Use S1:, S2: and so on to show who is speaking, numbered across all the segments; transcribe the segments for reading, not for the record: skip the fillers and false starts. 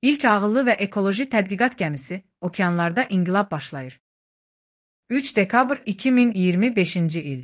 S1: İlk ağıllı və ekoloji tədqiqat gəmisi okeanlarda inqilab başlayır. 3 dekabr 2025-ci il.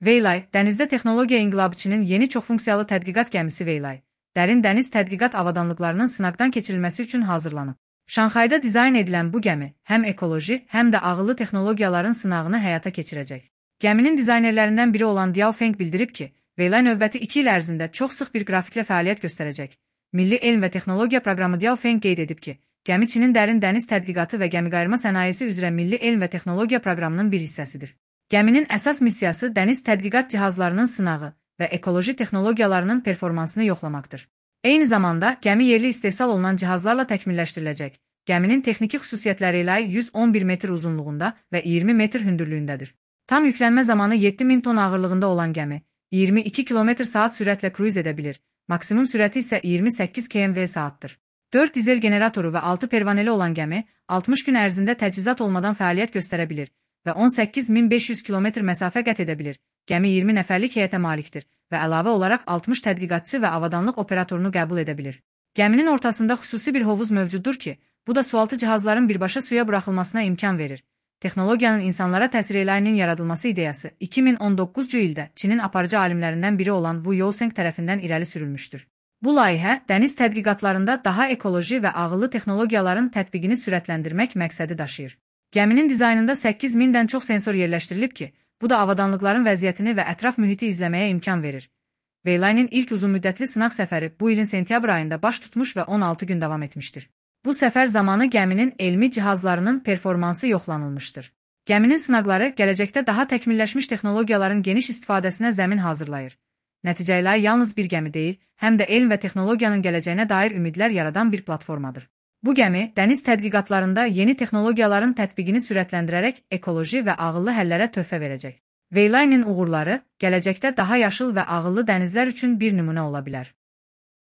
S1: Veylay, dənizdə texnologiya inqilabçının yeni çoxfunksiyalı tədqiqat gəmisi Veylay, dərin dəniz tədqiqat avadanlıqlarının sınaqdan keçirilməsi üçün hazırlanıb. Şanxayda dizayn edilən bu gəmi həm ekoloji, həm də ağıllı texnologiyaların sınağını həyata keçirəcək. Gəminin dizaynerlərindən biri olan Diao Feng bildirib ki, Veylay növbəti 2 il ərzində çox sıx bir qrafiklə fəaliyyət göstərəcək. Milli Elm və Texnologiya Proqramı Diao Feng qeyd edib ki, gəmi Çinin dərin dəniz tədqiqatı və gəmiqayırma sənayesi üzrə Milli Elm və Texnologiya Proqramının bir hissəsidir. Gəminin əsas missiyası dəniz tədqiqat cihazlarının sınağı və ekoloji texnologiyalarının performansını yoxlamaqdır. Eyni zamanda, gəmi yerli istehsal olunan cihazlarla təkmilləşdiriləcək. Gəminin texniki xüsusiyyətləri ilə 111 metr uzunluğunda və 20 metr hündürlüyündədir. Tam yüklənmə zamanı 7000 ton ağırlığında olan gəmi 22 km/saat sürətlə kruiz edə bilir. Maksimum sürəti isə 28 km/saatdır. 4 dizel generatoru və 6 pervaneli olan gəmi 60 gün ərzində təchizat olmadan fəaliyyət göstərə bilir və 18500 km məsafə qət edə bilir. Gəmi 20 nəfərlik heyətə malikdir və əlavə olaraq 60 tədqiqatçı və avadanlıq operatorunu qəbul edə bilir. Gəminin ortasında xüsusi bir hovuz mövcuddur ki, bu da sualtı cihazların birbaşa suya buraxılmasına imkan verir. Texnologiyanın insanlara təsir eləyinin yaradılması ideyası 2019-cu ildə Çinin aparıcı alimlərindən biri olan Wu Youseng tərəfindən irəli sürülmüşdür. Bu layihə dəniz tədqiqatlarında daha ekoloji və ağıllı texnologiyaların tətbiqini sürətləndirmək məqsədi daşıyır. Gəminin dizaynında 8000-dən çox sensor yerləşdirilib ki, bu da avadanlıqların vəziyyətini və ətraf mühiti izləməyə imkan verir. Veylay'nin ilk uzunmüddətli sınaq səfəri bu ilin sentyabr ayında baş tutmuş və 16 gün davam etmişdir. Bu səfər zamanı gəminin elmi cihazlarının performansı yoxlanılmışdır. Gəminin sınaqları gələcəkdə daha təkmilləşmiş texnologiyaların geniş istifadəsinə zəmin hazırlayır. Nəticə ilə yalnız bir gəmi deyil, həm də elm və texnologiyanın gələcəyinə dair ümidlər yaradan bir platformadır. Bu gəmi, dəniz tədqiqatlarında yeni texnologiyaların tətbiqini sürətləndirərək ekoloji və ağıllı həllərə töhfə verəcək. Veylay'nin uğurları gələcəkdə daha yaşıl və ağıllı dənizlər üçün bir nümunə ola bilər.